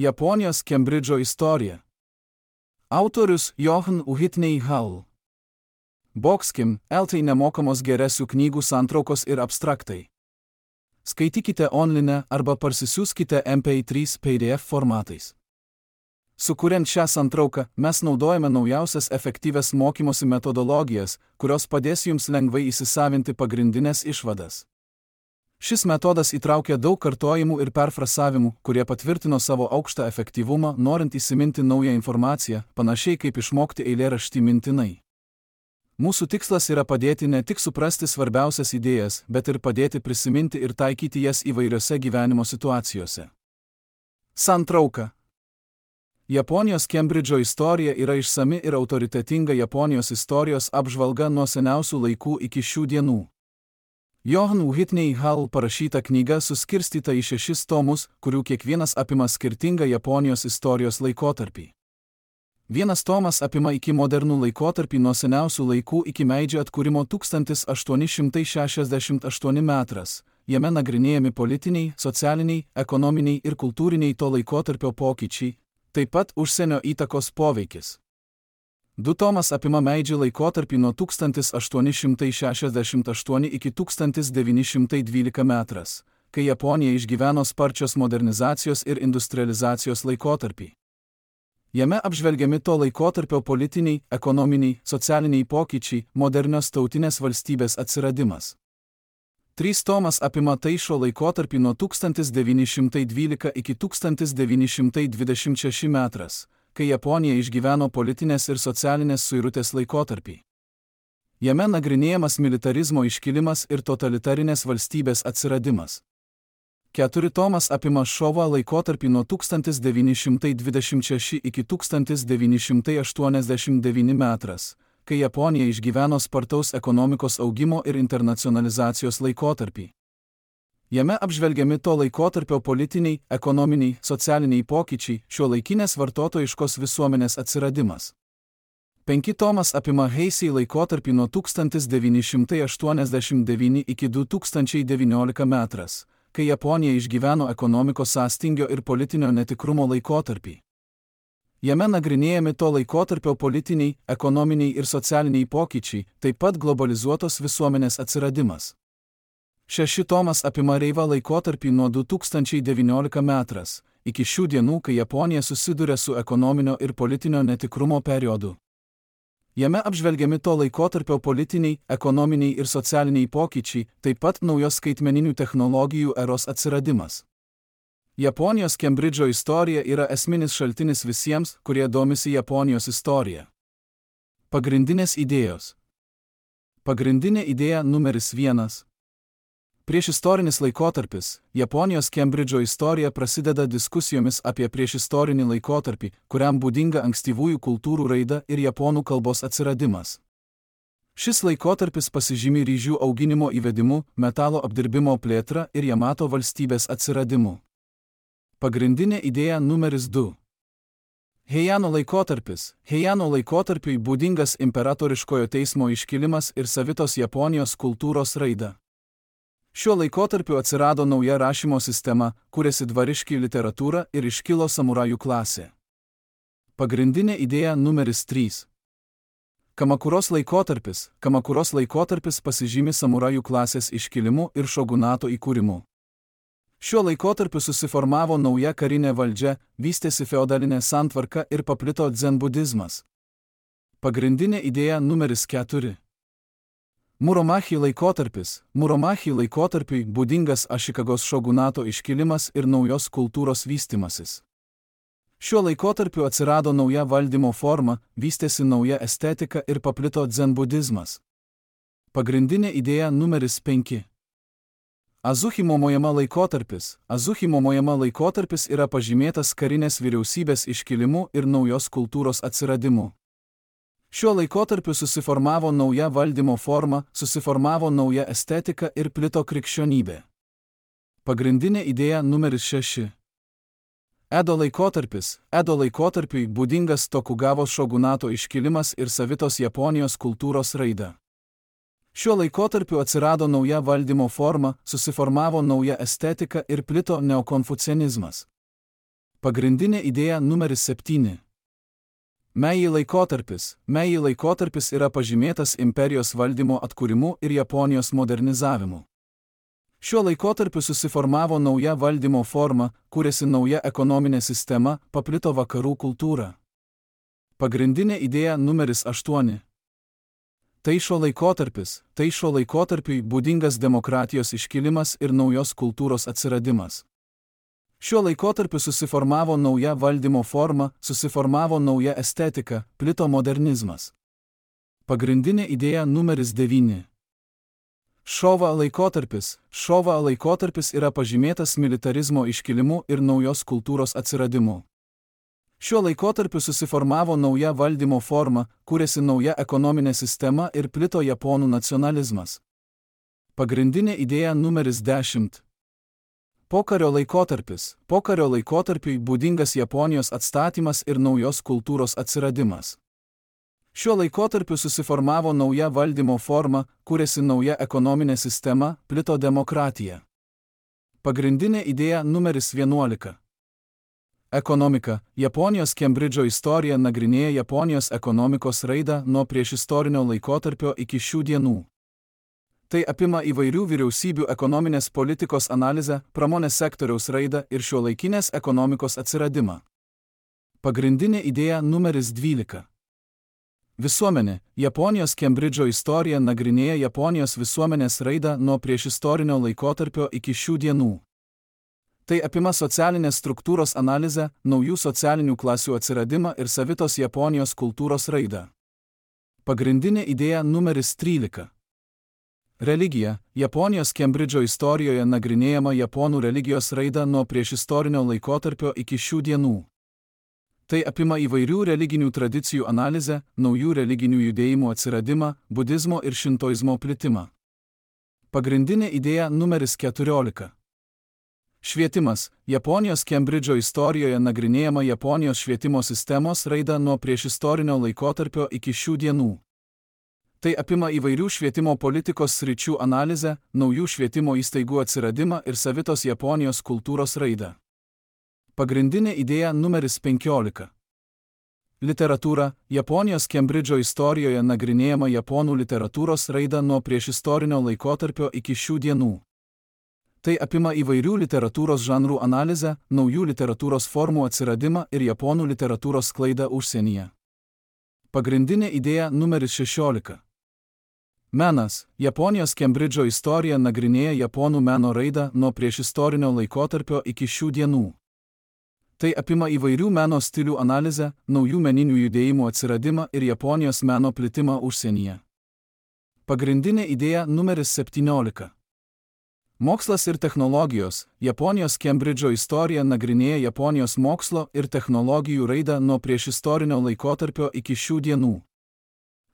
Japonijos Kembridžo istorija. Autorius Johan Whitney Hall. Bokskim, LT nemokamos geresių knygų santraukos ir abstraktai. Skaitykite online arba parsisiųskite MP3 PDF formatais. Sukuriant šią santrauką, mes naudojame naujausias efektyvias mokymosi metodologijas, kurios padės jums lengvai įsisavinti pagrindinės išvadas. Šis metodas įtraukia daug kartojimų ir perfrasavimų, kurie patvirtino savo aukštą efektyvumą, norint įsiminti naują informaciją, panašiai kaip išmokti eilėraštį mintinai. Mūsų tikslas yra padėti ne tik suprasti svarbiausias idėjas, bet ir padėti prisiminti ir taikyti jas įvairiose gyvenimo situacijose. Santrauka. Japonijos Kembridžo istorija yra išsami ir autoritetinga Japonijos istorijos apžvalga nuo seniausių laikų iki šių dienų. Johan Whitney Hall parašyta knyga suskirstyta į 6 tomus, kurių kiekvienas apima skirtingą Japonijos istorijos laikotarpį. Vienas tomas apima iki modernų laikotarpį nuo seniausių laikų iki Meidžio atkūrimo 1868 metras. Jame nagrinėjami politiniai, socialiniai, ekonominiai ir kultūriniai to laikotarpio pokyčiai, taip pat užsienio įtakos poveikis. 2 tomas apima Meidžio laikotarpį nuo 1868 iki 1912 metras, kai Japonija išgyveno sparčios modernizacijos ir industrializacijos laikotarpį. Jame apžvelgiami to laikotarpio politiniai, ekonominiai, socialiniai pokyčiai, modernios tautinės valstybės atsiradimas. 3 tomas apima Taišo laikotarpį nuo 1912 iki 1926 metras, kai Japonija išgyveno politinės ir socialinės suirutės laikotarpį. Jame nagrinėjamas militarizmo iškilimas ir totalitarinės valstybės atsiradimas. 4 tomas apima Šovo laikotarpį nuo 1926 iki 1989 metras, kai Japonija išgyveno spartaus ekonomikos augimo ir internacionalizacijos laikotarpį. Jame apžvelgiami to laikotarpio politiniai, ekonominiai, socialiniai pokyčiai, šiuolaikinės vartotojiškos visuomenės atsiradimas. 5 tomas apima Heisei laikotarpį nuo 1989 iki 2019 metras, kai Japonija išgyveno ekonomikos sąstingio ir politinio netikrumo laikotarpį. Jame nagrinėjami to laikotarpio politiniai, ekonominiai ir socialiniai pokyčiai, taip pat globalizuotos visuomenės atsiradimas. 6 tomas apima Reiva laikotarpį nuo 2019 metras, iki šių dienų, kai Japonija susiduria su ekonominio ir politinio netikrumo periodu. Jame apžvelgiami to laikotarpio politiniai, ekonominiai ir socialiniai pokyčiai, taip pat naujos skaitmeninių technologijų eros atsiradimas. Japonijos Kembridžo istorija yra esminis šaltinis visiems, kurie domisi Japonijos istorija. Pagrindinės idėjos. Pagrindinė idėja numeris 1. Priešistorinis laikotarpis. Japonijos Kembridžo istorija prasideda diskusijomis apie priešistorinį laikotarpį, kuriam būdinga ankstyvųjų kultūrų raida ir japonų kalbos atsiradimas. Šis laikotarpis pasižymi ryžių auginimo įvedimu, metalo apdirbimo plėtra ir Jamato valstybės atsiradimu. Pagrindinė idėja numeris 2. Heijano laikotarpis. Heijano laikotarpiui būdingas imperatoriškojo teismo iškilimas ir savitos Japonijos kultūros raida. Šiuo laikotarpiu atsirado nauja rašymo sistema, kūrėsi dvariški literatūra ir iškilo samurajų klasė. Pagrindinė idėja numeris 3. Kamakuros laikotarpis. Kamakuros laikotarpis pasižymi samurajų klasės iškilimu ir šogunato įkūrimu. Šiuo laikotarpiu susiformavo nauja karinė valdžia, vystėsi feodalinė santvarka ir paplito dzenbudizmas. Pagrindinė idėja numeris 4. Muromachi laikotarpis. Muromachi laikotarpiui būdingas Ašikagos šogunato iškilimas ir naujos kultūros vystimasis. Šiuo laikotarpiu atsirado nauja valdymo forma, vystėsi nauja estetika ir paplito dzenbudizmas. Pagrindinė idėja numeris 5. Azuchi Momojama laikotarpis. Azuchi Momojama laikotarpis yra pažymėtas karinės vyriausybės iškilimu ir naujos kultūros atsiradimu. Šiuo laikotarpiu susiformavo nauja valdymo forma, susiformavo nauja estetika ir plito krikščionybė. Pagrindinė idėja numeris 6. Edo laikotarpis. Edo laikotarpiui būdingas Tokugavos šogunato iškilimas ir savitos Japonijos kultūros raida. Šiuo laikotarpiu atsirado nauja valdymo forma, susiformavo nauja estetika ir plito neokonfucianizmas. Pagrindinė idėja numeris 7. Meiji laikotarpis yra pažymėtas imperijos valdymo atkūrimu ir Japonijos modernizavimu. Šiuo laikotarpiu susiformavo nauja valdymo forma, kūrėsi nauja ekonominė sistema, paplito vakarų kultūra. Pagrindinė idėja numeris 8. Taišo laikotarpiui būdingas demokratijos iškilimas ir naujos kultūros atsiradimas. Šiuo laikotarpiu susiformavo nauja valdymo forma, susiformavo nauja estetika, plito modernizmas. Pagrindinė idėja numeris 9. Šova laikotarpis yra pažymėtas militarizmo iškilimu ir naujos kultūros atsiradimu. Šiuo laikotarpiu susiformavo nauja valdymo forma, kūrėsi nauja ekonominė sistema ir plito japonų nacionalizmas. Pagrindinė idėja numeris 10. Pokario laikotarpiui būdingas Japonijos atstatymas ir naujos kultūros atsiradimas. Šiuo laikotarpiu susiformavo nauja valdymo forma, kūrėsi nauja ekonominė sistema, plito demokratija. Pagrindinė idėja numeris 11. Ekonomika. Japonijos Kembridžo istorija nagrinėja Japonijos ekonomikos raidą nuo priešistorinio laikotarpio iki šių dienų. Tai apima įvairių vyriausybių ekonominės politikos analizę, pramonės sektoriaus raidą ir šiuolaikinės ekonomikos atsiradimą. Pagrindinė idėja numeris 12. Visuomenė. Japonijos Kembridžo istorija nagrinėja Japonijos visuomenės raidą nuo priešistorinio laikotarpio iki šių dienų. Tai apima socialinės struktūros analizę, naujų socialinių klasių atsiradimą ir savitos Japonijos kultūros raidą. Pagrindinė idėja numeris 13. Religija. Japonijos Kembridžo istorijoje nagrinėjama Japonų religijos raida nuo priešistorinio laikotarpio iki šių dienų. Tai apima įvairių religinių tradicijų analizę, naujų religinių judėjimų atsiradimą, budizmo ir šintoizmo plitimą. Pagrindinė idėja numeris 14. Švietimas. Japonijos Kembridžo istorijoje nagrinėjama Japonijos švietimo sistemos raida nuo priešistorinio laikotarpio iki šių dienų. Tai apima įvairių švietimo politikos sričių analizę, naujų švietimo įstaigų atsiradimą ir savitos Japonijos kultūros raidą. Pagrindinė idėja numeris 15. Literatūra. Japonijos Kembridžo istorijoje nagrinėjama Japonų literatūros raida nuo priešistorinio laikotarpio iki šių dienų. Tai apima įvairių literatūros žanrų analizę, naujų literatūros formų atsiradimą ir Japonų literatūros sklaidą užsienyje. Pagrindinė idėja numeris 16. Menas. Japonijos Kembridžo istorija nagrinėja Japonų meno raidą nuo priešistorinio laikotarpio iki šių dienų. Tai apima įvairių meno stilių analizę, naujų meninių judėjimų atsiradimą ir Japonijos meno plitimą užsienyje. Pagrindinė idėja numeris 17. Mokslas ir technologijos. Japonijos Kembridžo istorija nagrinėja Japonijos mokslo ir technologijų raidą nuo priešistorinio laikotarpio iki šių dienų.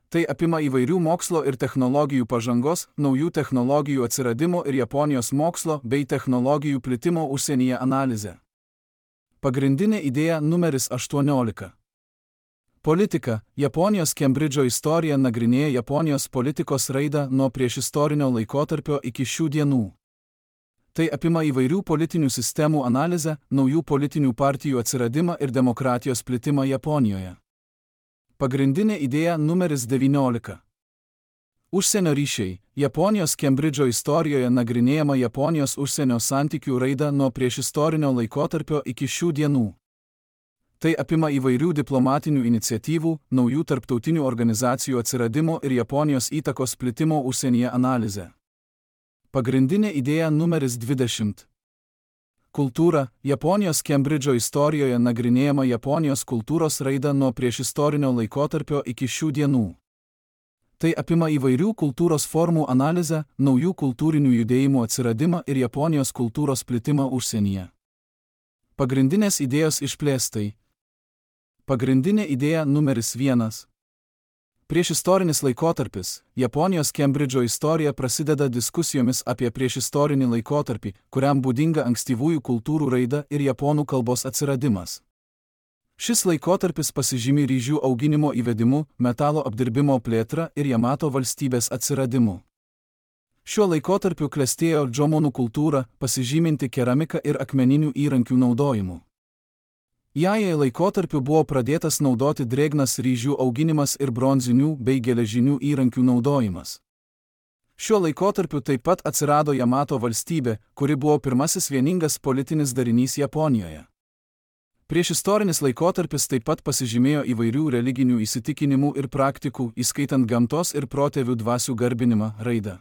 Tai apima įvairių mokslo ir technologijų pažangos, naujų technologijų atsiradimo ir Japonijos mokslo bei technologijų plitimo užsienyje analizę. Pagrindinė idėja numeris 18. Politika. Japonijos Kembridžo istorija nagrinėja Japonijos politikos raidą nuo priešistorinio laikotarpio iki šių dienų. Tai apima įvairių politinių sistemų analizę, naujų politinių partijų atsiradimą ir demokratijos plitimą Japonijoje. Pagrindinė idėja numeris 19. Užsienio ryšiai. Japonijos Kembridžo istorijoje nagrinėjama Japonijos užsienio santykių raida nuo priešistorinio laikotarpio iki šių dienų. Tai apima įvairių diplomatinių iniciatyvų, naujų tarptautinių organizacijų atsiradimo ir Japonijos įtakos plitimo užsienyje analizę. Pagrindinė idėja numeris 20. Kultūra. Japonijos Kembridžo istorijoje nagrinėjama Japonijos kultūros raida nuo priešistorinio laikotarpio iki šių dienų. Tai apima įvairių kultūros formų analizę, naujų kultūrinių judėjimų atsiradimą ir Japonijos kultūros plitimą užsienyje. Pagrindinės idėjos išplėstai. Pagrindinė idėja numeris 1. Priešistorinis laikotarpis. Japonijos Kembridžo istorija prasideda diskusijomis apie priešistorinį laikotarpį, kuriam būdinga ankstyvųjų kultūrų raida ir japonų kalbos atsiradimas. Šis laikotarpis pasižymi ryžių auginimo įvedimu, metalo apdirbimo plėtra ir Jamato valstybės atsiradimu. Šiuo laikotarpiu klestėjo džomonų kultūra, pasižyminti keramiką ir akmeninių įrankių naudojimu. Jajai laikotarpiu buvo pradėtas naudoti drėgnas ryžių auginimas ir bronzinių bei geležinių įrankių naudojimas. Šiuo laikotarpiu taip pat atsirado Jamato valstybė, kuri buvo pirmasis vieningas politinis darinys Japonijoje. Priešistorinis laikotarpis taip pat pasižymėjo įvairių religinių įsitikinimų ir praktikų, įskaitant gamtos ir protėvių dvasių garbinimą, raidą.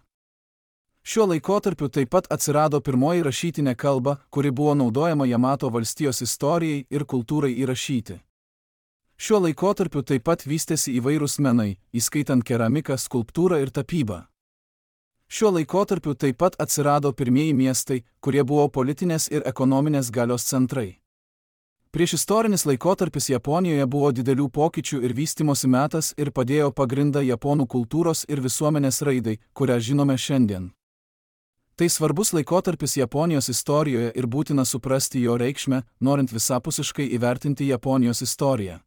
Šiuo laikotarpiu taip pat atsirado pirmoji rašytinė kalba, kuri buvo naudojama Jamato valstijos istorijai ir kultūrai įrašyti. Šiuo laikotarpiu taip pat vystėsi įvairūs menai, įskaitant keramiką, skulptūrą ir tapybą. Šiuo laikotarpiu taip pat atsirado pirmieji miestai, kurie buvo politinės ir ekonominės galios centrai. Priešistorinis laikotarpis Japonijoje buvo didelių pokyčių ir vystymosi metas ir padėjo pagrindą japonų kultūros ir visuomenės raidai, kurią žinome šiandien. Tai svarbus laikotarpis Japonijos istorijoje ir būtina suprasti jo reikšmę, norint visapusiškai įvertinti Japonijos istoriją.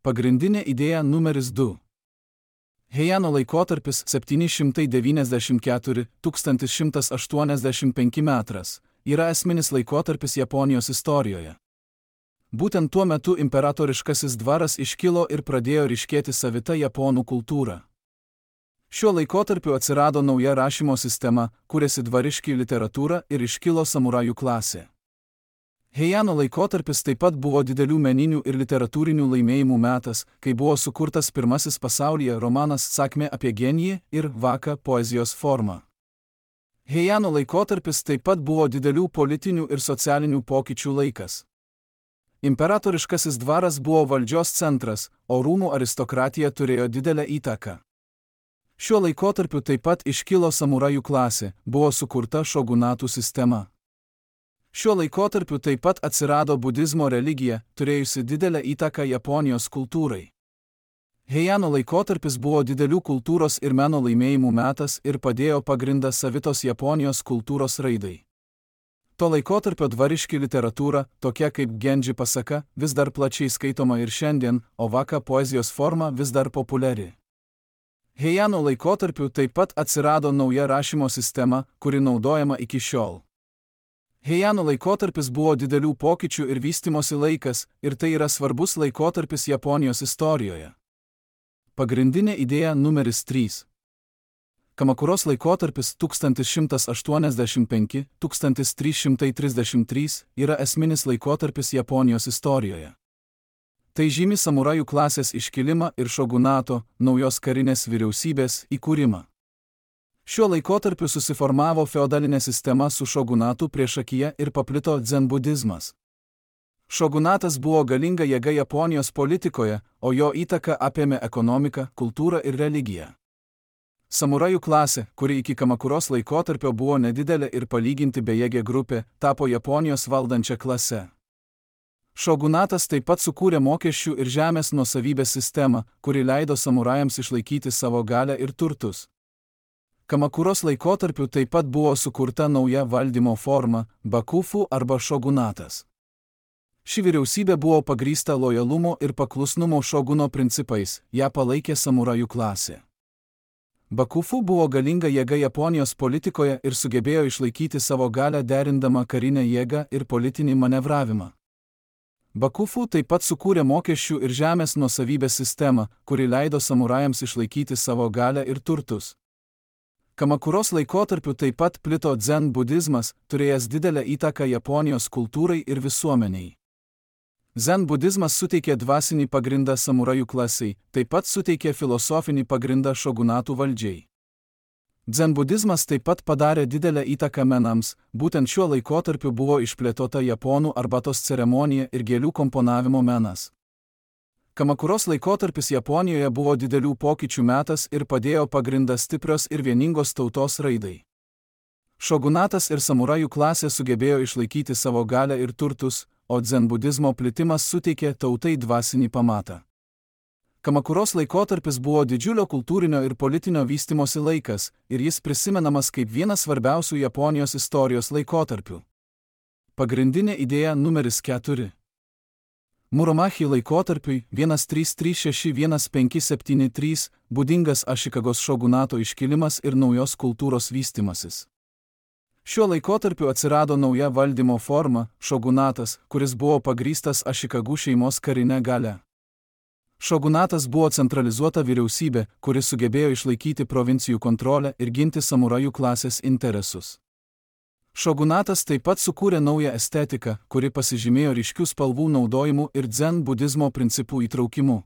Pagrindinė idėja numeris 2. Heijano laikotarpis 794–1185 metras yra esminis laikotarpis Japonijos istorijoje. Būtent tuo metu imperatoriškasis dvaras iškilo ir pradėjo ryškėti savita japonų kultūra. Šiuo laikotarpiu atsirado nauja rašymo sistema, kūrėsi dvariški literatūra ir iškilo samurajų klasė. Heijano laikotarpis taip pat buvo didelių meninių ir literatūrinių laimėjimų metas, kai buvo sukurtas pirmasis pasaulyje romanas Sakmė apie genijį ir Vaka poezijos forma. Heijano laikotarpis taip pat buvo didelių politinių ir socialinių pokyčių laikas. Imperatoriškasis dvaras buvo valdžios centras, o rūmų aristokratija turėjo didelę įtaką. Šiuo laikotarpiu taip pat iškilo samurajų klasė, buvo sukurta šogunatų sistema. Šiuo laikotarpiu taip pat atsirado budizmo religija, turėjusi didelę įtaką Japonijos kultūrai. Heijano laikotarpis buvo didelių kultūros ir meno laimėjimų metas ir padėjo pagrindą savitos Japonijos kultūros raidai. To laikotarpio dvariški literatūra, tokia kaip Genji pasaka, vis dar plačiai skaitoma ir šiandien, o Vaka poezijos forma vis dar populiari. Heijano laikotarpiu taip pat atsirado nauja rašymo sistema, kuri naudojama iki šiol. Heijano laikotarpis buvo didelių pokyčių ir vystymosi laikas, ir tai yra svarbus laikotarpis Japonijos istorijoje. Pagrindinė idėja numeris 3. Kamakuros laikotarpis 1185–1333 yra esminis laikotarpis Japonijos istorijoje. Tai žymi samurajų klasės iškilimą ir šogunato, naujos karinės vyriausybės, įkūrimą. Šiuo laikotarpiu susiformavo feodalinė sistema su šogunatu priešakyje ir paplito dzenbudizmas. Šogunatas buvo galinga jėga Japonijos politikoje, o jo įtaka apėmė ekonomiką, kultūrą ir religiją. Samurajų klasė, kuri iki Kamakuros laikotarpio buvo nedidelė ir palyginti bejėgė grupė, tapo Japonijos valdančia klase. Šogunatas taip pat sukūrė mokesčių ir žemės nuosavybės sistemą, kuri leido samurajams išlaikyti savo galią ir turtus. Kamakuros laikotarpiu taip pat buvo sukurta nauja valdymo forma – bakufu arba šogunatas. Ši vyriausybė buvo pagrįsta lojalumo ir paklusnumo šoguno principais, ją palaikė samurajų klasė. Bakufu buvo galinga jėga Japonijos politikoje ir sugebėjo išlaikyti savo galią derindama karinę jėgą ir politinį manevravimą. Bakufu taip pat sukūrė mokesčių ir žemės nuosavybės sistemą, kuri leido samurajams išlaikyti savo galią ir turtus. Kamakuros laikotarpiu taip pat plito dzen budizmas, turėjęs didelę įtaką Japonijos kultūrai ir visuomeniai. Zen budizmas suteikė dvasinį pagrindą samurajų klasiai, taip pat suteikė filosofinį pagrindą šogunatų valdžiai. Dzenbudizmas taip pat padarė didelę įtaką menams, būtent šiuo laikotarpiu buvo išplėtota japonų arbatos ceremonija ir gėlių komponavimo menas. Kamakuros laikotarpis Japonijoje buvo didelių pokyčių metas ir padėjo pagrindą stiprios ir vieningos tautos raidai. Šogunatas ir samurajų klasė sugebėjo išlaikyti savo galią ir turtus, o dzenbudizmo plitimas suteikė tautai dvasinį pamatą. Kamakuros laikotarpis buvo didžiulio kultūrinio ir politinio vystymosi laikas, ir jis prisimenamas kaip vienas svarbiausių Japonijos istorijos laikotarpių. Pagrindinė idėja numeris 4. Muromachi laikotarpiui 1336–1573 būdingas Ašikagos šogunato iškilimas ir naujos kultūros vystymasis. Šiuo laikotarpiu atsirado nauja valdymo forma – šogunatas, kuris buvo pagrįstas Ašikagų šeimos karinę galią. Šogunatas buvo centralizuota vyriausybė, kuri sugebėjo išlaikyti provincijų kontrolę ir ginti samurajų klasės interesus. Šogunatas taip pat sukūrė naują estetiką, kuri pasižymėjo ryškių spalvų naudojimu ir dzen budizmo principų įtraukimu.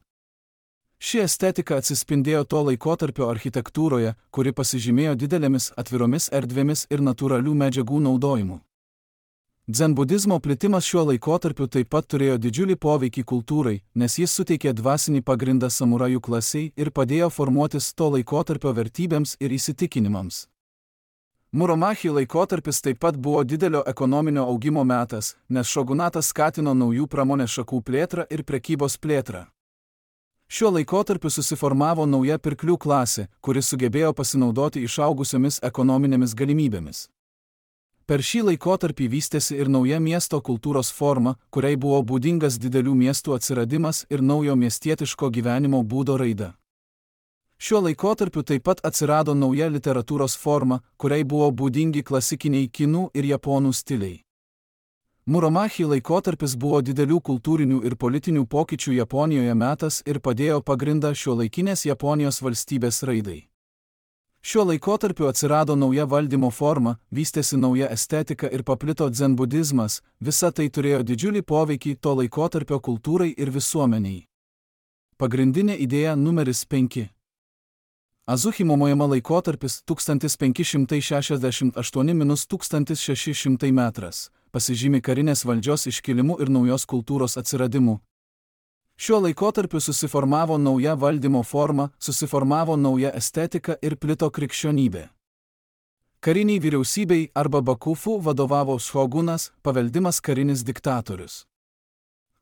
Ši estetika atsispindėjo to laikotarpio architektūroje, kuri pasižymėjo didelėmis atviromis erdvėmis ir natūralių medžiagų naudojimu. Dzenbudizmo plitimas šiuo laikotarpiu taip pat turėjo didžiulį poveikį kultūrai, nes jis suteikė dvasinį pagrindą samurajų klasiai ir padėjo formuotis to laikotarpio vertybėms ir įsitikinimams. Muromachi laikotarpis taip pat buvo didelio ekonominio augimo metas, nes šogunatas skatino naujų pramonės šakų plėtrą ir prekybos plėtrą. Šiuo laikotarpiu susiformavo nauja pirklių klasė, kuri sugebėjo pasinaudoti išaugusiomis ekonominėmis galimybėmis. Per šį laikotarpį vystėsi ir nauja miesto kultūros forma, kuriai buvo būdingas didelių miestų atsiradimas ir naujo miestietiško gyvenimo būdo raida. Šiuo laikotarpiu taip pat atsirado nauja literatūros forma, kuriai buvo būdingi klasikiniai kinų ir japonų stiliai. Muromachi laikotarpis buvo didelių kultūrinių ir politinių pokyčių Japonijoje metas ir padėjo pagrindą šiuolaikinės Japonijos valstybės raidai. Šiuo laikotarpiu atsirado nauja valdymo forma, vystėsi nauja estetika ir paplito dzenbudizmas, visa tai turėjo didžiulį poveikį to laikotarpio kultūrai ir visuomeniai. Pagrindinė idėja numeris 5. Azuchi Momojama laikotarpis 1568–1600 metras pasižymi karinės valdžios iškilimu ir naujos kultūros atsiradimu. Šiuo laikotarpiu susiformavo nauja valdymo forma, susiformavo nauja estetika ir plito krikščionybė. Kariniai vyriausybei arba bakufu vadovavo šogunas, paveldimas karinis diktatorius.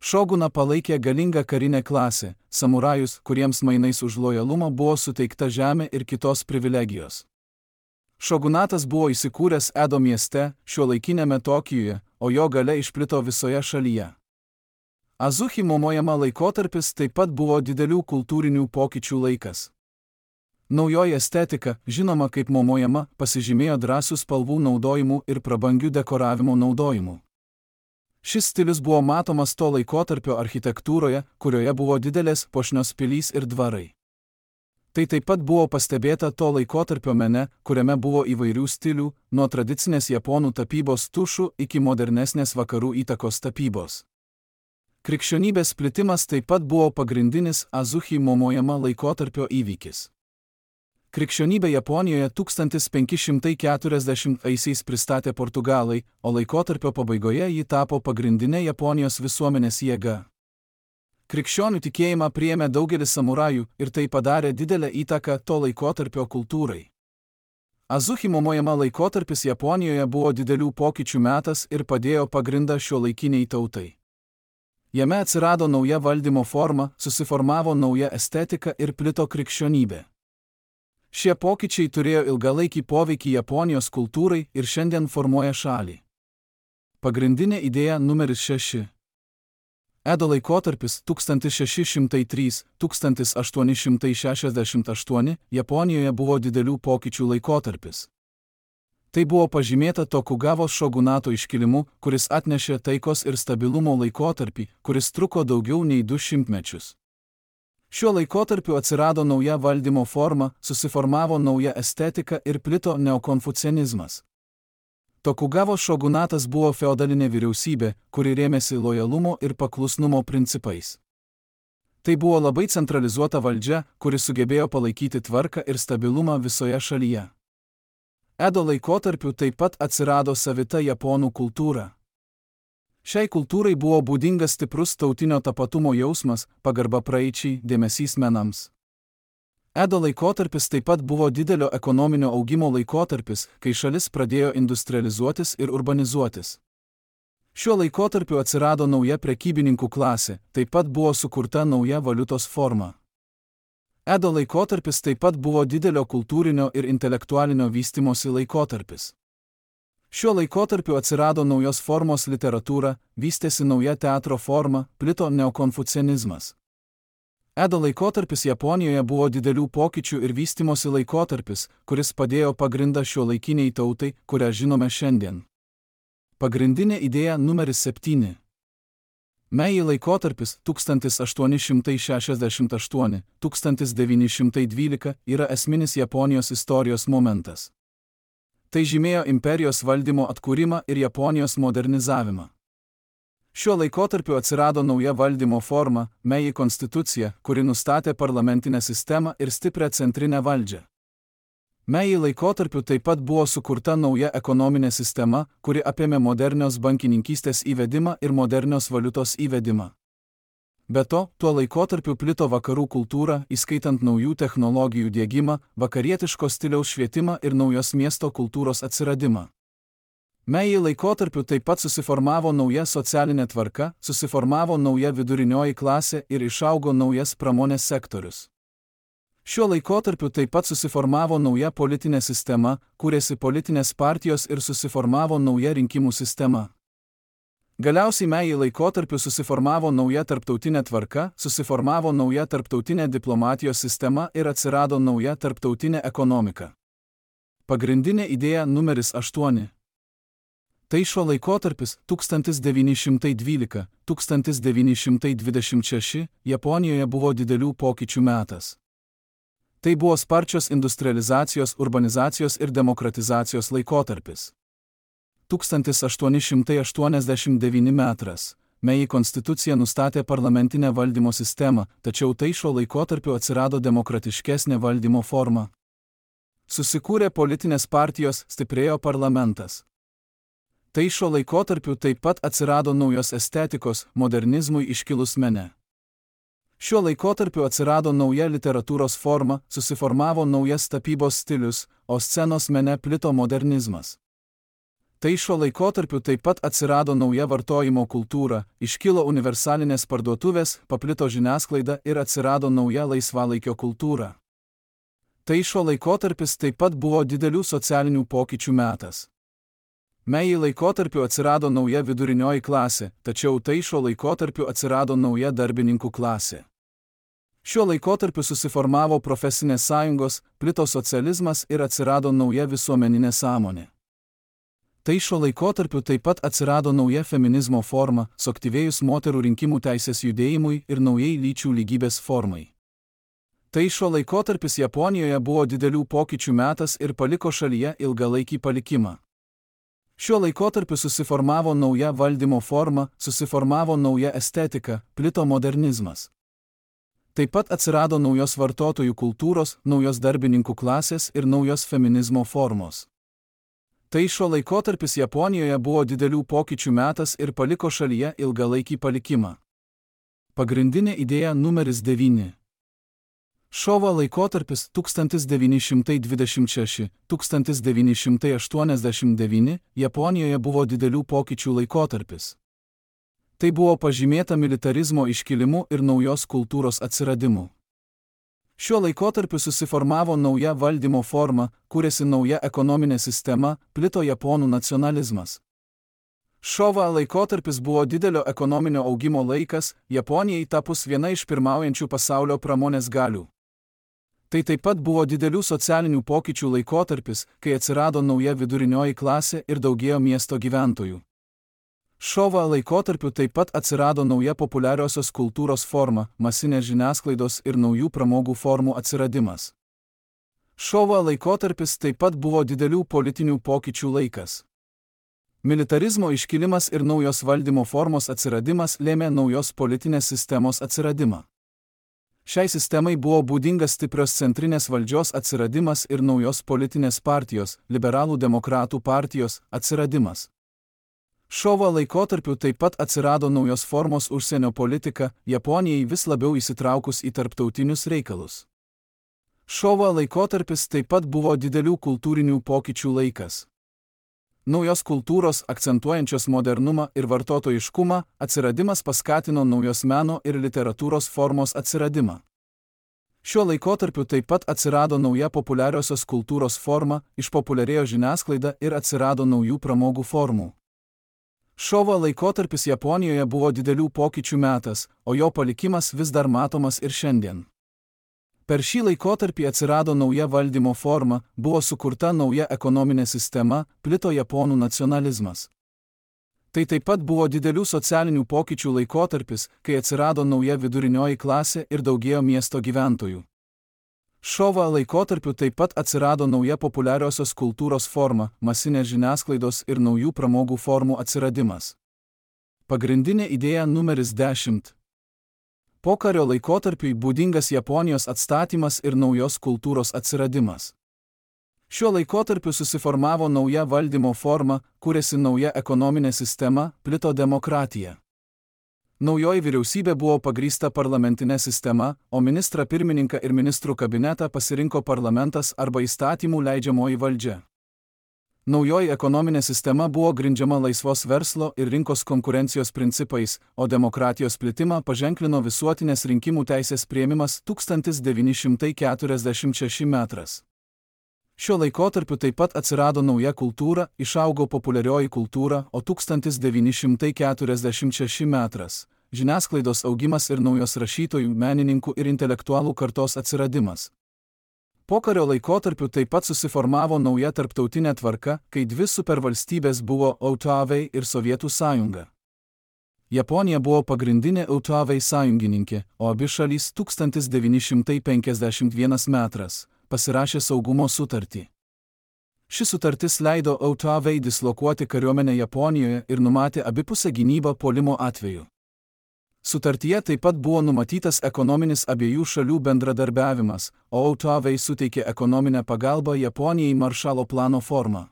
Šoguną palaikė galinga karinė klasė, samurajus, kuriems mainais už lojalumą buvo suteikta žemė ir kitos privilegijos. Šogunatas buvo įsikūręs Edo mieste, šiuolaikinėme Tokijuje, o jo galia išplito visoje šalyje. Azuchi Momojama laikotarpis taip pat buvo didelių kultūrinių pokyčių laikas. Naujoji estetika, žinoma kaip Momojama, pasižymėjo drąsių spalvų naudojimu ir prabangių dekoravimo naudojimu. Šis stilius buvo matomas to laikotarpio architektūroje, kurioje buvo didelės puošnios pilys ir dvarai. Tai taip pat buvo pastebėta to laikotarpio mene, kuriame buvo įvairių stilių, nuo tradicinės japonų tapybos tušų iki modernesnės vakarų įtakos tapybos. Krikščionybės plitimas taip pat buvo pagrindinis Azuchi Momojama laikotarpio įvykis. Krikščionybę Japonijoje 1540-aisiais pristatė portugalai, o laikotarpio pabaigoje ji tapo pagrindinė Japonijos visuomenės jėga. Krikščionių tikėjimą priėmė daugelis samurajų ir tai padarė didelę įtaką to laikotarpio kultūrai. Azuchi Momojama laikotarpis Japonijoje buvo didelių pokyčių metas ir padėjo pagrindą šiuolaikiniai tautai. Jame atsirado nauja valdymo forma, susiformavo nauja estetika ir plito krikščionybė. Šie pokyčiai turėjo ilgalaikį poveikį Japonijos kultūrai ir šiandien formuoja šalį. Pagrindinė idėja numeris 6. Edo laikotarpis 1603–1868 Japonijoje buvo didelių pokyčių laikotarpis. Tai buvo pažymėta Tokugavos šogunato iškilimu, kuris atnešė taikos ir stabilumo laikotarpį, kuris truko daugiau nei 200 mečius. Šiuo laikotarpiu atsirado nauja valdymo forma, susiformavo nauja estetika ir plito neokonfucianizmas. Tokugavos šogunatas buvo feodalinė vyriausybė, kuri rėmėsi lojalumo ir paklusnumo principais. Tai buvo labai centralizuota valdžia, kuri sugebėjo palaikyti tvarką ir stabilumą visoje šalyje. Edo laikotarpiu taip pat atsirado savita japonų kultūra. Šiai kultūrai buvo būdingas stiprus tautinio tapatumo jausmas, pagarba praeičiai, dėmesys menams. Edo laikotarpis taip pat buvo didelio ekonominio augimo laikotarpis, kai šalis pradėjo industrializuotis ir urbanizuotis. Šiuo laikotarpiu atsirado nauja prekybininkų klasė, taip pat buvo sukurta nauja valiutos forma. Edo laikotarpis taip pat buvo didelio kultūrinio ir intelektualinio vystymosi laikotarpis. Šiuo laikotarpiu atsirado naujos formos literatūra, vystėsi nauja teatro forma, plito neokonfucianizmas. Edo laikotarpis Japonijoje buvo didelių pokyčių ir vystimosi laikotarpis, kuris padėjo pagrindą šiuolaikiniai tautai, kurią žinome šiandien. Pagrindinė idėja numeris 7. Meiji laikotarpis 1868–1912 yra esminis Japonijos istorijos momentas. Tai žymėjo imperijos valdymo atkūrimą ir Japonijos modernizavimą. Šiuo laikotarpiu atsirado nauja valdymo forma – Meiji konstitucija, kuri nustatė parlamentinę sistemą ir stiprią centrinę valdžią. Meiji laikotarpiu taip pat buvo sukurta nauja ekonominė sistema, kuri apėmė modernios bankininkystės įvedimą ir modernios valiutos įvedimą. Be to, tuo laikotarpiu plito vakarų kultūra, įskaitant naujų technologijų diegimą, vakarietiško stiliaus švietimą ir naujos miesto kultūros atsiradimą. Meiji laikotarpiu taip pat susiformavo nauja socialinė tvarka, susiformavo nauja vidurinioji klasė ir išaugo naujas pramonės sektorius. Šiuo laikotarpiu taip pat susiformavo nauja politinė sistema, kūrėsi politinės partijos ir susiformavo nauja rinkimų sistema. Galiausiai Meiji laikotarpiu susiformavo nauja tarptautinė tvarka, susiformavo nauja tarptautinė diplomatijos sistema ir atsirado nauja tarptautinė ekonomika. Pagrindinė idėja numeris 8. Tai šio laikotarpis 1912–1926 Japonijoje buvo didelių pokyčių metas. Tai buvo sparčios industrializacijos, urbanizacijos ir demokratizacijos laikotarpis. 1889 metais Meiji konstitucija nustatė parlamentinę valdymo sistemą, tačiau tai šio laikotarpiu atsirado demokratiškesnė valdymo forma. Susikūrė politinės partijos, stiprėjo parlamentas. Tai šio laikotarpiu taip pat atsirado naujos estetikos, modernizmui iškilus mene. Šiuo laikotarpiu atsirado nauja literatūros forma, susiformavo naujas tapybos stilius, o scenos mene plito modernizmas. Tai šio laikotarpiu taip pat atsirado nauja vartojimo kultūra, iškilo universalinės parduotuvės, paplito žiniasklaida ir atsirado nauja laisvalaikio kultūra. Tai šio laikotarpis taip pat buvo didelių socialinių pokyčių metas. Meiji laikotarpiu atsirado nauja vidurinioji klasė, tačiau tai šio laikotarpiu atsirado nauja darbininkų klasė. Šiuo laikotarpiu susiformavo profesinės sąjungos, plito socializmas ir atsirado nauja visuomeninė sąmonė. Tai šio laikotarpiu taip pat atsirado nauja feminizmo forma, suaktyvėjus moterų rinkimų teisės judėjimui ir naujai lyčių lygybės formai. Tai šio laikotarpis Japonijoje buvo didelių pokyčių metas ir paliko šalyje ilgalaikį palikimą. Šiuo laikotarpiu susiformavo nauja valdymo forma, susiformavo nauja estetika, plito modernizmas. Taip pat atsirado naujos vartotojų kultūros, naujos darbininkų klasės ir naujos feminizmo formos. Tai šio laikotarpis Japonijoje buvo didelių pokyčių metas ir paliko šalyje ilgalaikį palikimą. Pagrindinė idėja numeris 9. Šovo laikotarpis 1926–1989 Japonijoje buvo didelių pokyčių laikotarpis. Tai buvo pažymėta militarizmo iškilimu ir naujos kultūros atsiradimu. Šiuo laikotarpiu susiformavo nauja valdymo forma, kūrėsi nauja ekonominė sistema, plito japonų nacionalizmas. Šovo laikotarpis buvo didelio ekonominio augimo laikas, Japonijai tapus viena iš pirmaujančių pasaulio pramonės galių. Tai taip pat buvo didelių socialinių pokyčių laikotarpis, kai atsirado nauja vidurinioji klasė ir daugėjo miesto gyventojų. Šovo laikotarpiu taip pat atsirado nauja populiariosios kultūros forma, masinės žiniasklaidos ir naujų pramogų formų atsiradimas. Šovo laikotarpis taip pat buvo didelių politinių pokyčių laikas. Militarizmo iškilimas ir naujos valdymo formos atsiradimas lėmė naujos politinės sistemos atsiradimą. Šiai sistemai buvo būdingas stiprios centrinės valdžios atsiradimas ir naujos politinės partijos, liberalų demokratų partijos, atsiradimas. Šovo laikotarpiu taip pat atsirado naujos formos užsienio politika, Japonijai vis labiau įsitraukus į tarptautinius reikalus. Šovo laikotarpis taip pat buvo didelių kultūrinių pokyčių laikas. Naujos kultūros, akcentuojančios modernumą ir vartotojiškumą, atsiradimas paskatino naujos meno ir literatūros formos atsiradimą. Šiuo laikotarpiu taip pat atsirado nauja populiariosios kultūros forma, išpopuliarėjo žiniasklaida ir atsirado naujų pramogų formų. Šovo laikotarpis Japonijoje buvo didelių pokyčių metas, o jo palikimas vis dar matomas ir šiandien. Per šį laikotarpį atsirado nauja valdymo forma, buvo sukurta nauja ekonominė sistema, plito japonų nacionalizmas. Tai taip pat buvo didelių socialinių pokyčių laikotarpis, kai atsirado nauja vidurinioji klasė ir daugėjo miesto gyventojų. Šovo laikotarpiu taip pat atsirado nauja populiariosios kultūros forma, masinės žiniasklaidos ir naujų pramogų formų atsiradimas. Pagrindinė idėja numeris 10. Pokario laikotarpiui būdingas Japonijos atstatymas ir naujos kultūros atsiradimas. Šiuo laikotarpiu susiformavo nauja valdymo forma, kūrėsi nauja ekonominė sistema, plito demokratija. Naujoji vyriausybė buvo pagrįsta parlamentinė sistema, o ministrą pirmininką ir ministrų kabinetą pasirinko parlamentas arba įstatymų leidžiamoji valdžia. Naujoji ekonominė sistema buvo grindžiama laisvos verslo ir rinkos konkurencijos principais, o demokratijos plitimą paženklino visuotinės rinkimų teisės priėmimas 1946 metras. Šiuo laikotarpiu taip pat atsirado nauja kultūra, išaugo populiarioji kultūra, o 1946 metras – žiniasklaidos augimas ir naujos rašytojų, menininkų ir intelektualų kartos atsiradimas. Pokario laikotarpiu taip pat susiformavo nauja tarptautinė tvarka, kai dvi supervalstybės buvo Jav ir Sovietų sąjunga. Japonija buvo pagrindinė Jav sąjungininkė, o abi šalys 1951 metras pasirašė saugumo sutartį. Ši sutartis leido Jav dislokuoti kariuomenę Japonijoje ir numatė abipusę gynybą puolimo atveju. Sutartyje taip pat buvo numatytas ekonominis abiejų šalių bendradarbiavimas, o Jav suteikė ekonominę pagalbą Japonijai Maršalo plano forma.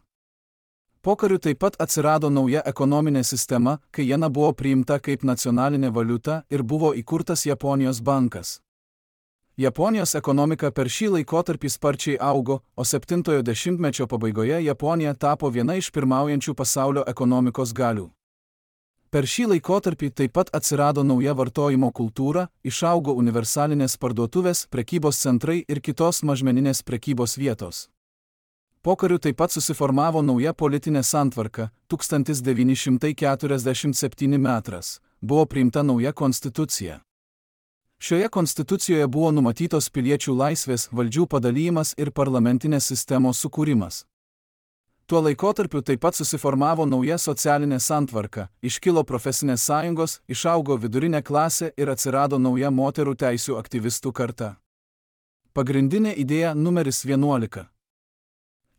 Pokariu taip pat atsirado nauja ekonominė sistema, kai jena buvo priimta kaip nacionalinė valiuta ir buvo įkurtas Japonijos bankas. Japonijos ekonomika per šį laikotarpį sparčiai augo, o 70-ojo dešimtmečio pabaigoje Japonija tapo viena iš pirmaujančių pasaulio ekonomikos galių. Per šį laikotarpį taip pat atsirado nauja vartojimo kultūra, išaugo universalinės parduotuvės, prekybos centrai ir kitos mažmeninės prekybos vietos. Pokariu taip pat susiformavo nauja politinė santvarka, 1947 metras, buvo priimta nauja konstitucija. Šioje konstitucijoje buvo numatytos piliečių laisvės, valdžių padalyjimas ir parlamentinės sistemos sukūrimas. Tuo laikotarpiu taip pat susiformavo nauja socialinė santvarka, iškilo profesinės sąjungos, išaugo vidurinė klasė ir atsirado nauja moterų teisių aktyvistų karta. Pagrindinė idėja numeris 11.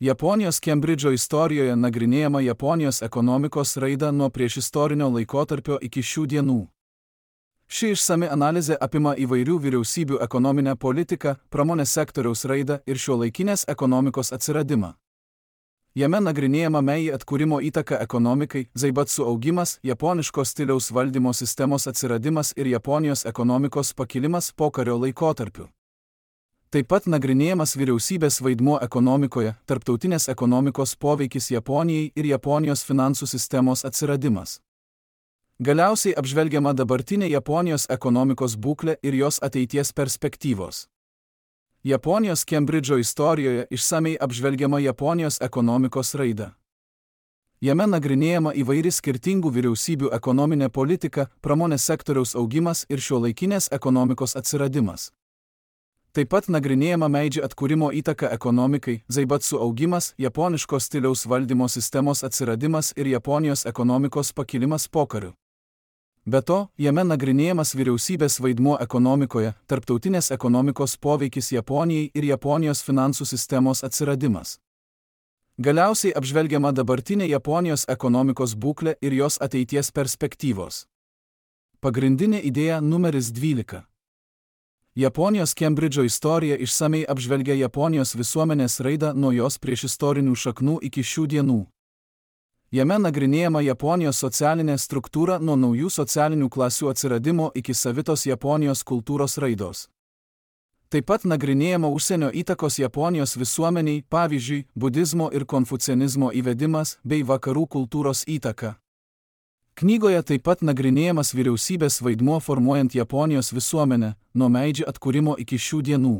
Japonijos Kembridžo istorijoje nagrinėjama Japonijos ekonomikos raida nuo priešistorinio laikotarpio iki šių dienų. Ši išsami analizė apima įvairių vyriausybių ekonominę politiką, pramonės sektoriaus raidą ir šiuolaikinės ekonomikos atsiradimą. Jame nagrinėjama Meiji atkūrimo įtaka ekonomikai, Zaibatsu augimas, japoniško stiliaus valdymo sistemos atsiradimas ir Japonijos ekonomikos pakilimas pokario laikotarpiu. Taip pat nagrinėjamas vyriausybės vaidmuo ekonomikoje, tarptautinės ekonomikos poveikis Japonijai ir Japonijos finansų sistemos atsiradimas. Galiausiai apžvelgiama dabartinė Japonijos ekonomikos būklė ir jos ateities perspektyvos. Japonijos Kembridžo istorijoje išsamiai apžvelgiama Japonijos ekonomikos raida. Jame nagrinėjama įvairi skirtingų vyriausybių ekonominė politika, pramonės sektoriaus augimas ir šiuolaikinės ekonomikos atsiradimas. Taip pat nagrinėjama Meidži atkūrimo įtaka ekonomikai, Zaibatsu augimas, japoniško stiliaus valdymo sistemos atsiradimas ir Japonijos ekonomikos pakilimas pokariu. Be to, jame nagrinėjamas vyriausybės vaidmuo ekonomikoje, tarptautinės ekonomikos poveikis Japonijai ir Japonijos finansų sistemos atsiradimas. Galiausiai apžvelgiama dabartinė Japonijos ekonomikos būklė ir jos ateities perspektyvos. Pagrindinė idėja numeris 12. Japonijos Kembridžo istorija išsamiai apžvelgia Japonijos visuomenės raidą nuo jos priešistorinių šaknų iki šių dienų. Jame nagrinėjama Japonijos socialinė struktūra nuo naujų socialinių klasių atsiradimo iki savitos Japonijos kultūros raidos. Taip pat nagrinėjama užsienio įtakos Japonijos visuomeniai, pavyzdžiui, budizmo ir konfucianizmo įvedimas bei vakarų kultūros įtaka. Knygoje taip pat nagrinėjamas vyriausybės vaidmuo formuojant Japonijos visuomenę, nuo Meidži atkūrimo iki šių dienų.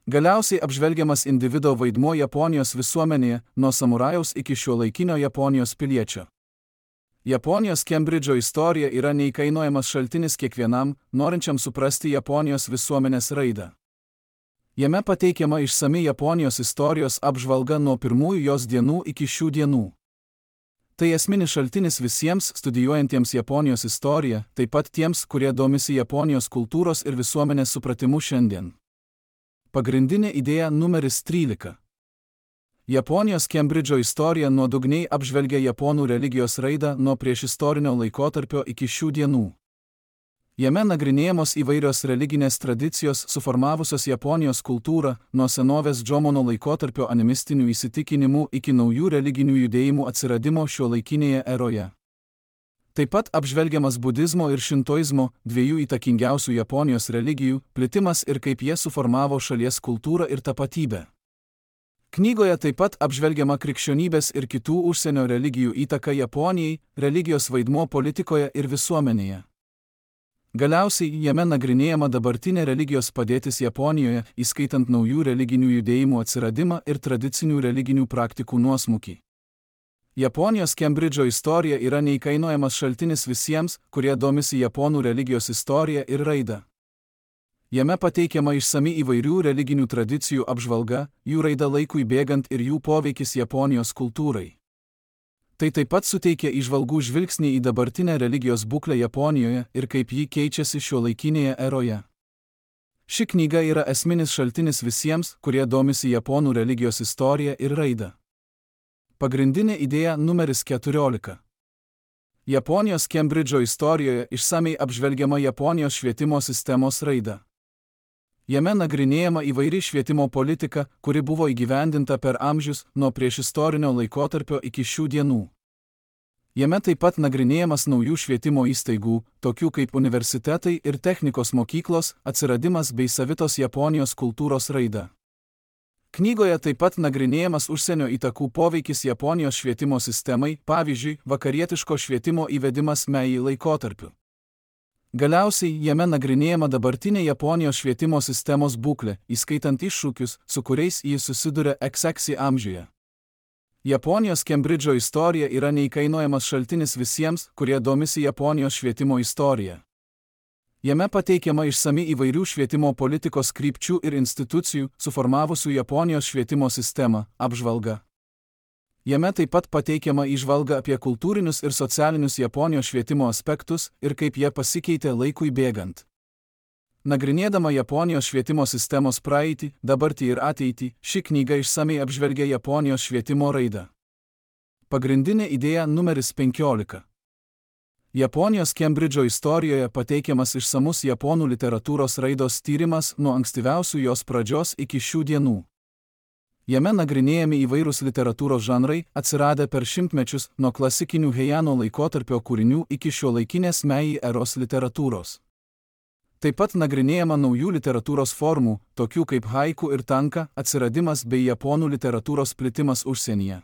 Galiausiai apžvelgiamas individo vaidmuo Japonijos visuomenėje, nuo samurajaus iki šiuolaikinio Japonijos piliečio. Japonijos Kembridžo istorija yra neįkainojamas šaltinis kiekvienam, norinčiam suprasti Japonijos visuomenės raidą. Jame pateikiama išsami Japonijos istorijos apžvalga nuo pirmųjų jos dienų iki šių dienų. Tai esminis šaltinis visiems studijuojantiems Japonijos istoriją, taip pat tiems, kurie domisi Japonijos kultūros ir visuomenės supratimu šiandien. Pagrindinė idėja numeris 13. Japonijos Kembridžo istorija nuodugniai apžvelgia japonų religijos raidą nuo priešistorinio laikotarpio iki šių dienų. Jame nagrinėjamos įvairios religinės tradicijos suformavusios Japonijos kultūrą nuo senovės Džomono laikotarpio animistinių įsitikinimų iki naujų religinių judėjimų atsiradimo šiuolaikinėje eroje. Taip pat apžvelgiamas budizmo ir šintoizmo, dviejų įtakingiausių Japonijos religijų, plitimas ir kaip jie suformavo šalies kultūrą ir tapatybę. Knygoje taip pat apžvelgiama krikščionybės ir kitų užsienio religijų įtaka Japonijai, religijos vaidmuo politikoje ir visuomenėje. Galiausiai jame nagrinėjama dabartinė religijos padėtis Japonijoje, įskaitant naujų religinių judėjimų atsiradimą ir tradicinių religinių praktikų nuosmukį. Japonijos Kembridžo istorija yra neįkainojamas šaltinis visiems, kurie domisi japonų religijos istorija ir raida. Jame pateikiama išsami įvairių religinių tradicijų apžvalga, jų raida laikui bėgant ir jų poveikis Japonijos kultūrai. Tai taip pat suteikia įžvalgų žvilgsnį į dabartinę religijos būklę Japonijoje ir kaip ji keičiasi šiuolaikinėje eroje. Ši knyga yra esminis šaltinis visiems, kurie domisi japonų religijos istorija ir raida. Pagrindinė idėja numeris 14. Japonijos Kembridžo istorijoje išsamiai apžvelgiama Japonijos švietimo sistemos raida. Jame nagrinėjama įvairi švietimo politika, kuri buvo įgyvendinta per amžius nuo priešistorinio laikotarpio iki šių dienų. Jame taip pat nagrinėjamas naujų švietimo įstaigų, tokių kaip universitetai ir technikos mokyklos, atsiradimas bei savitos Japonijos kultūros raida. Knygoje taip pat nagrinėjamas užsienio įtakų poveikis Japonijos švietimo sistemai, pavyzdžiui, vakarietiško švietimo įvedimas Meiji laikotarpiu. Galiausiai jame nagrinėjama dabartinė Japonijos švietimo sistemos būklė, įskaitant iššūkius, su kuriais jis susiduria XX amžiuje. Japonijos Kembridžo istorija yra neįkainojamas šaltinis visiems, kurie domisi Japonijos švietimo istorija. Jame pateikiama išsami įvairių švietimo politikos krypčių ir institucijų, suformavusių Japonijos švietimo sistemą, apžvalga. Jame taip pat pateikiama įžvalga apie kultūrinius ir socialinius Japonijos švietimo aspektus ir kaip jie pasikeitė laikui bėgant. Nagrinėdama Japonijos švietimo sistemos praeitį, dabartį ir ateitį, ši knyga išsamiai apžvelgia Japonijos švietimo raidą. Pagrindinė idėja numeris 15. Japonijos Kembridžo istorijoje pateikiamas išsamus japonų literatūros raidos tyrimas nuo ankstyviausių jos pradžios iki šių dienų. Jame nagrinėjami įvairūs literatūros žanrai, atsiradę per šimtmečius nuo klasikinių Heiano laikotarpio kūrinių iki šiuolaikinės Meiji eros literatūros. Taip pat nagrinėjama naujų literatūros formų, tokių kaip haiku ir tanka, atsiradimas bei japonų literatūros plitimas užsienyje.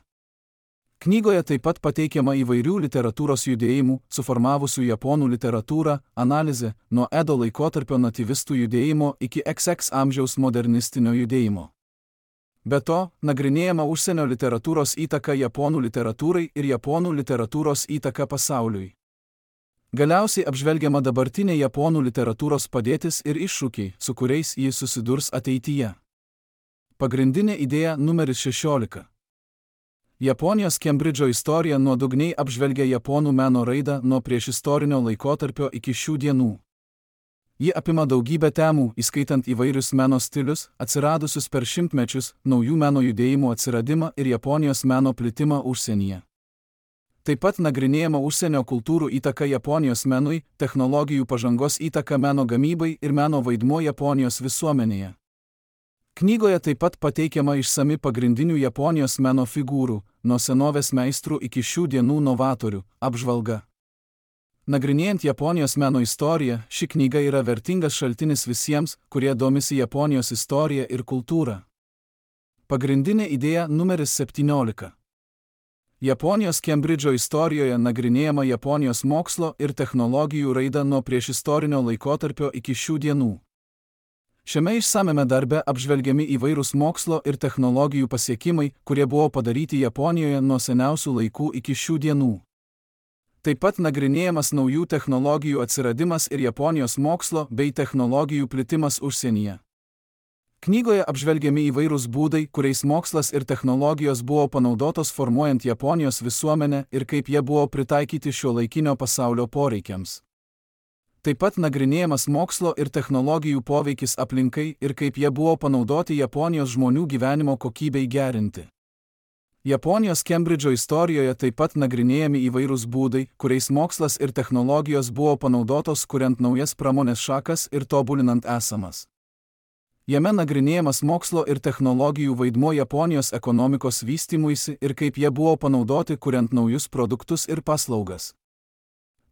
Knygoje taip pat pateikiama įvairių literatūros judėjimų, suformavusių japonų literatūrą, analizė, nuo Edo laikotarpio nativistų judėjimo iki XX amžiaus modernistinio judėjimo. Be to, nagrinėjama užsienio literatūros įtaka japonų literatūrai ir japonų literatūros įtaka pasauliui. Galiausiai apžvelgiama dabartinė japonų literatūros padėtis ir iššūkiai, su kuriais jis susidurs ateityje. Pagrindinė idėja numeris 16. Japonijos Kembridžo istorija nuodugniai apžvelgia japonų meno raidą nuo priešistorinio laikotarpio iki šių dienų. Ji apima daugybę temų, įskaitant įvairius meno stilius, atsiradusius per šimtmečius, naujų meno judėjimų atsiradimą ir Japonijos meno plitimą užsienyje. Taip pat nagrinėjama užsienio kultūrų įtaka Japonijos menui, technologijų pažangos įtaka meno gamybai ir meno vaidmuo Japonijos visuomenėje. Knygoje taip pat pateikiama išsami pagrindinių Japonijos meno figūrų, nuo senovės meistrų iki šių dienų novatorių, apžvalga. Nagrinėjant Japonijos meno istoriją, ši knyga yra vertingas šaltinis visiems, kurie domisi Japonijos istorija ir kultūra. Pagrindinė idėja numeris 17. Japonijos Kembridžo istorijoje nagrinėjama Japonijos mokslo ir technologijų raida nuo priešistorinio laikotarpio iki šių dienų. Šiame išsamiame darbe apžvelgiami įvairūs mokslo ir technologijų pasiekimai, kurie buvo padaryti Japonijoje nuo seniausių laikų iki šių dienų. Taip pat nagrinėjamas naujų technologijų atsiradimas ir Japonijos mokslo bei technologijų plitimas užsienyje. Knygoje apžvelgiami įvairūs būdai, kuriais mokslas ir technologijos buvo panaudotos formuojant Japonijos visuomenę ir kaip jie buvo pritaikyti šiuolaikinio pasaulio poreikiams. Taip pat nagrinėjamas mokslo ir technologijų poveikis aplinkai ir kaip jie buvo panaudoti Japonijos žmonių gyvenimo kokybei gerinti. Japonijos Kembridžo istorijoje taip pat nagrinėjami įvairūs būdai, kuriais mokslas ir technologijos buvo panaudotos kuriant naujas pramonės šakas ir tobulinant esamas. Jame nagrinėjamas mokslo ir technologijų vaidmuo Japonijos ekonomikos vystymuisi ir kaip jie buvo panaudoti kuriant naujus produktus ir paslaugas.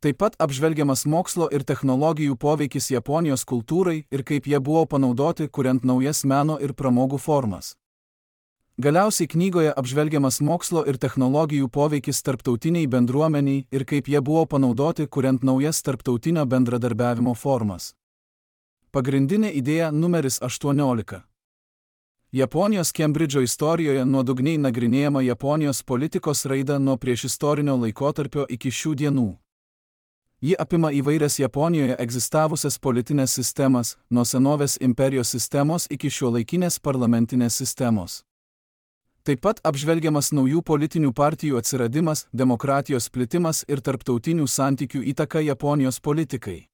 Taip pat apžvelgiamas mokslo ir technologijų poveikis Japonijos kultūrai ir kaip jie buvo panaudoti kuriant naujas meno ir pramogų formas. Galiausiai knygoje apžvelgiamas mokslo ir technologijų poveikis tarptautiniai bendruomeniai ir kaip jie buvo panaudoti kuriant naujas tarptautinio bendradarbiavimo formas. Pagrindinė idėja numeris 18. Japonijos Kembridžo istorijoje nuodugniai nagrinėjama Japonijos politikos raida nuo priešistorinio laikotarpio iki šių dienų. Ji apima įvairias Japonijoje egzistavusias politinės sistemas, nuo senovės imperijos sistemos iki šiuolaikinės parlamentinės sistemos. Taip pat apžvelgiamas naujų politinių partijų atsiradimas, demokratijos plitimas ir tarptautinių santykių įtaka Japonijos politikai.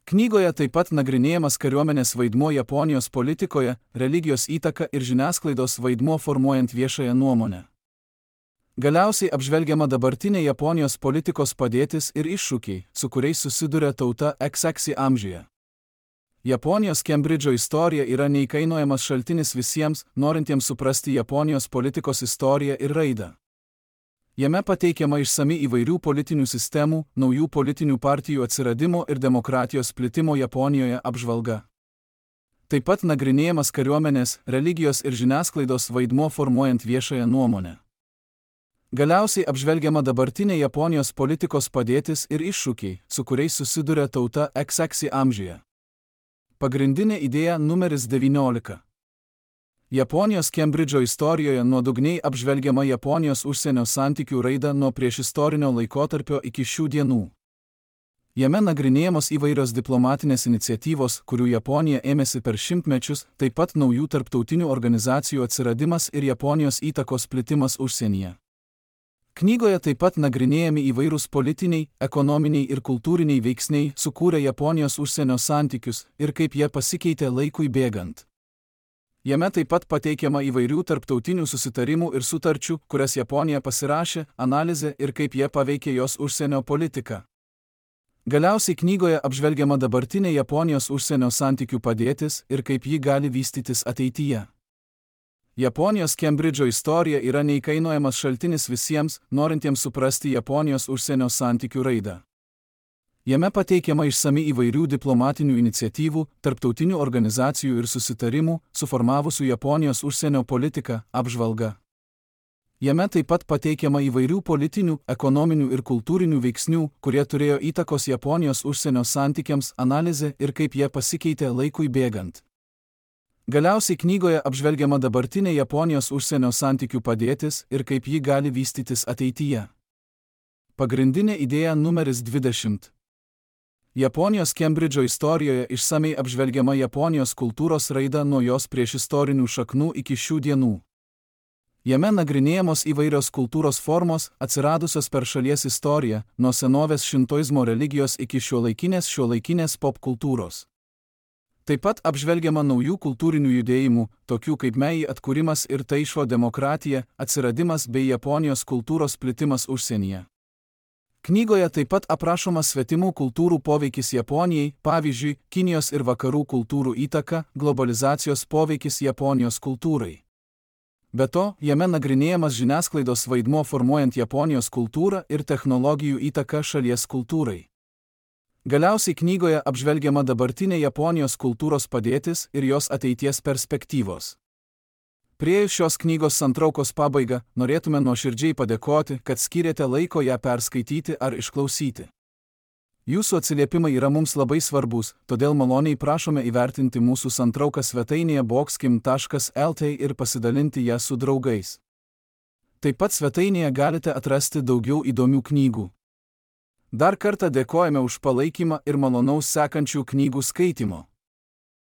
Knygoje taip pat nagrinėjamas kariuomenės vaidmuo Japonijos politikoje, religijos įtaka ir žiniasklaidos vaidmuo formuojant viešąją nuomonę. Galiausiai apžvelgiama dabartinė Japonijos politikos padėtis ir iššūkiai, su kuriais susiduria tauta XX amžiuje. Japonijos Kembridžo istorija yra neįkainojamas šaltinis visiems, norintiems suprasti Japonijos politikos istoriją ir raidą. Jame pateikiama išsami įvairių politinių sistemų, naujų politinių partijų atsiradimo ir demokratijos plitimo Japonijoje apžvalga. Taip pat nagrinėjamas kariuomenės, religijos ir žiniasklaidos vaidmuo formuojant viešąją nuomonę. Galiausiai apžvelgiama dabartinė Japonijos politikos padėtis ir iššūkiai, su kuriais susiduria tauta XX amžiuje. Pagrindinė idėja numeris 19. Japonijos Kembridžo istorijoje nuodugniai apžvelgiama Japonijos užsienio santykių raida nuo priešistorinio laikotarpio iki šių dienų. Jame nagrinėjamos įvairios diplomatinės iniciatyvos, kurių Japonija ėmėsi per šimtmečius, taip pat naujų tarptautinių organizacijų atsiradimas ir Japonijos įtakos plitimas užsienyje. Knygoje taip pat nagrinėjami įvairūs politiniai, ekonominiai ir kultūriniai veiksniai sukūrė Japonijos užsienio santykius ir kaip jie pasikeitė laikui bėgant. Jame taip pat pateikiama įvairių tarptautinių susitarimų ir sutarčių, kurias Japonija pasirašė, analizė ir kaip jie paveikė jos užsienio politiką. Galiausiai knygoje apžvelgiama dabartinė Japonijos užsienio santykių padėtis ir kaip ji gali vystytis ateityje. Japonijos Kembridžo istorija yra neįkainojamas šaltinis visiems, norintiems suprasti Japonijos užsienio santykių raidą. Jame pateikiama išsami įvairių diplomatinių iniciatyvų, tarptautinių organizacijų ir susitarimų, suformavusių Japonijos užsienio politiką, apžvalga. Jame taip pat pateikiama įvairių politinių, ekonominių ir kultūrinių veiksnių, kurie turėjo įtakos Japonijos užsienio santykiams, analizė ir kaip jie pasikeitė laikui bėgant. Galiausiai knygoje apžvelgiama dabartinė Japonijos užsienio santykių padėtis ir kaip ji gali vystytis ateityje. Pagrindinė idėja numeris 20. Japonijos Kembridžo istorijoje išsamei apžvelgiama Japonijos kultūros raida nuo jos priešistorinių šaknų iki šių dienų. Jame nagrinėjamos įvairios kultūros formos, atsiradusios per šalies istoriją, nuo senovės šintoizmo religijos iki šiuolaikinės popkultūros. Taip pat apžvelgiama naujų kultūrinių judėjimų, tokių kaip Meiji atkūrimas ir Taišo demokratija, atsiradimas bei Japonijos kultūros plitimas užsienyje. Knygoje taip pat aprašomas svetimų kultūrų poveikis Japonijai, pavyzdžiui, Kinijos ir vakarų kultūrų įtaka, globalizacijos poveikis Japonijos kultūrai. Be to, jame nagrinėjamas žiniasklaidos vaidmuo formuojant Japonijos kultūrą ir technologijų įtaka šalies kultūrai. Galiausiai knygoje apžvelgiama dabartinė Japonijos kultūros padėtis ir jos ateities perspektyvos. Priėjus šios knygos santraukos pabaigą, norėtume nuoširdžiai padėkoti, kad skyrėte laiko ją perskaityti ar išklausyti. Jūsų atsiliepimai yra mums labai svarbus, todėl maloniai prašome įvertinti mūsų santrauką svetainėje boxkim.lt ir pasidalinti ją su draugais. Taip pat svetainėje galite atrasti daugiau įdomių knygų. Dar kartą dėkojame už palaikymą ir malonaus sekančių knygų skaitimo.